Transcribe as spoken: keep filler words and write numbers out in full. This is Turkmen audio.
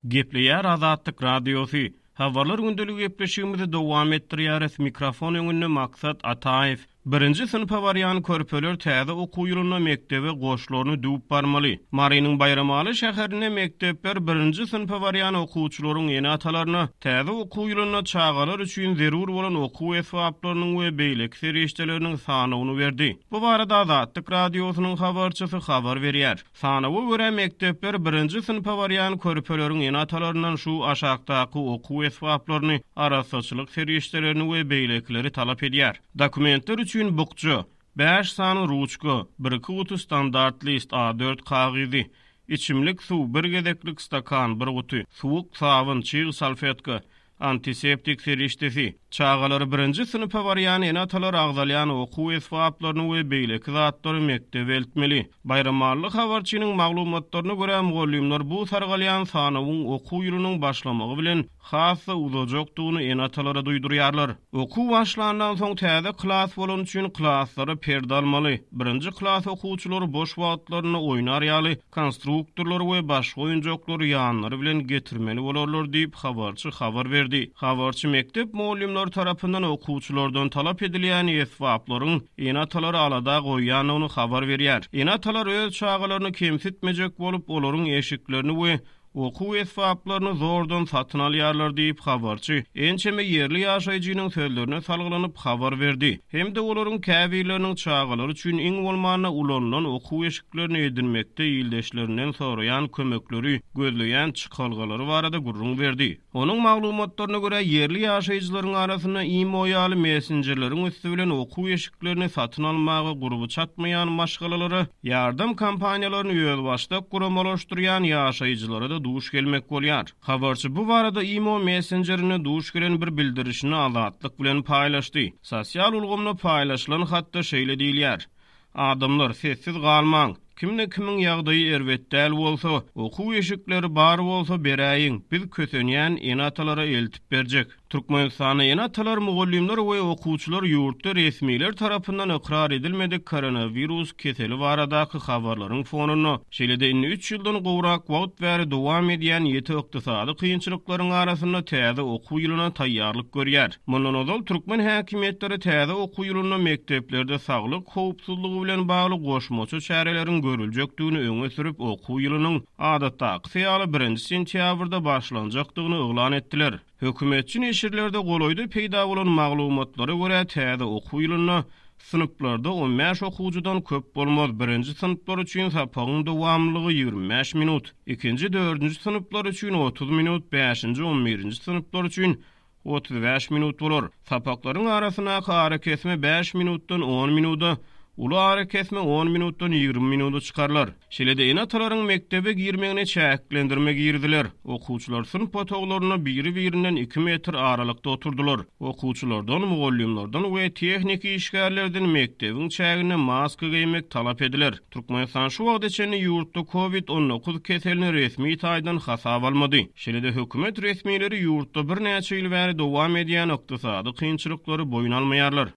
Gepleýär Azatlyk Radiosy. Habarlar gündeligi gepleşigimizi dowam etdirýäris. Mikrofon öňünde Maksat Ataýew. Birinji synpa barýan körpeler täze okuw ýylynda mekdebe goşlaryny düwüp barmaly. Marynyň Baýramaly şäherinde mekdepler birinji synpa barýan okuwçylaryň ene-atalaryna täze okuw ýylynda çagalar üçin zerur bolan okuw esbaplarynyň we beýleki serişdeleriniň sanawyny berdi. Bu barada Azatlyk Radiosynyň habarçysy habar berýär. Sanawa görä mekdepler birinji synpa barýan körpeleriň ene-atalaryndan şu aşakdaky okuw esbaplaryny, arassaçylyk serişdelerini we beýlekileri talap edýär. Dokumentler üçin bukja, bäş sany ruçka, bir-iki guty standart list A dört kagyzy, içimlik suw, bir gezeklik stakan, bir guty, suwuk sabyn, çyg salfetka, antiseptik serişdesi. Çagalary birinji synpa barýan ene-atalar agzalýan okuw esbaplaryny we beýleki zatlary mekdebe eltmeli. Baýramally habarçynyň maglumatlaryna görä mugallymlar bu sargalýan sanawyň okuw ýylynyň başlamagy bilen has-da uzajakdygyny ene-atalara duýdurýarlar. Okuw başlandan soň täze klas bolan üçin klaslara perde almaly. Birinji klas okuwçylary boş wagtlarynda oýnar ýaly konstruktorlar we başga oýunjaklary ýanlary bilen getirmeli bolarlar diýip habarçy habar berdi. Habarçy mekdep mugallymlary tarapyndan okuwçylardan talap edilýän esbaplaryň ene-atalary alada goýýandygyny habar berýär. Ene-atalar öz çagalaryny kemsitmejek bolup, olaryň eşiklerini we okuw esbaplaryny zordan satyn alýarlar diýip habarçy ençeme ýerli ýaşaýjynyň sözlerine salgylanyp habar berdi. Hem-de olaryň käbirleriniň çagalary üçin iň bolmanda ulanylan okuw eşiklerini edinmekde ildeşlerinden soraýan kömekleri, gözleýän çykalgalary barada gürrüň berdi. Onuň maglumatlaryna görä ýerli ýaşaýjylaryň arasynda IMO ýaly messenjerleriň üsti bilen okuw eşiklerini satyn almaga gurby çatmaýan maşgalalara ýardam kompaniýalaryny özbaşdak guramalaşdyrýan ýaşaýjylara da duş gelmek bolýar. Habarçy bu barada IMO messenjerine duş gelen bir bildirişini Azatlyk bilen paýlaşdy. Sosial ulgamda paýlaşylan hatda şeýle diýilýär. Adamlar sessiz galmaň. Kimde kimiň ýagdaýy erbet däl bolsa, okuw eşikleri bar bolsa beräýiň, biz kösenýän ene-atalara eltip berjek. Türkmenistanda ene-atalar, mugallymlar we okuwçylar ýurtda resmiler tarapyndan ykrar edilmedik koronawirus keseli baradaky habarlaryň fonunda, şeýle-de indi üç ýyldan gowrak wagt bäri dowam edýän ýeti ykdysady kynçylyklaryň arasynda täze okuw ýylyna taýýarlyk görýär. Mundan ozal türkmen häkimiýetleri täze okuw ýylynda mekdeplerde saglyk howpsuzlygy bilen bagly goşmaça çäreleriň görüljekdigini öňe sürüp okuw ýylynyň adatdaky ýaly birinji sentýabrda başlanjakdygyny yglan etdiler. Hökümetçi neşirlerde golaýda peýda bolan maglumatlara görä täze okuw ýylynda synplarda on bäş okuwçydan köp bolmaz. Birinji synplar üçin sapagyň dowamlylygy ýigrimi bäş minut, ikinji, dördünji synplar üçin otuz minut, bäşinji, on birinji synplar üçin otuz bäş minut bolar. Sapaklaryň arasyndaky arakesme bäş minutdan on minuda, uly arakesme on minutdan ýigrimi minuda çykarlar. Şeýle-de ene-atalaryň mekdebe girmegine çäklendirme girdiler. Okuwçylar synp otaglarynda biri-birinden iki metr aralykda oturdular. Okuwçylardan, mugallymlardan we tehniki işgärlerden mekdebiň çäginde maska geýmek talap ediler. Türkmenistan şu wagta çenli ýurtda COVID on dokuz keselini resmi taýdan hasap almady. Şeýle-de hökümet resmileri ýurtda birnäçe ýyl bäri dowam edýän ykdysady kynçylyklary boýun almaýarlar.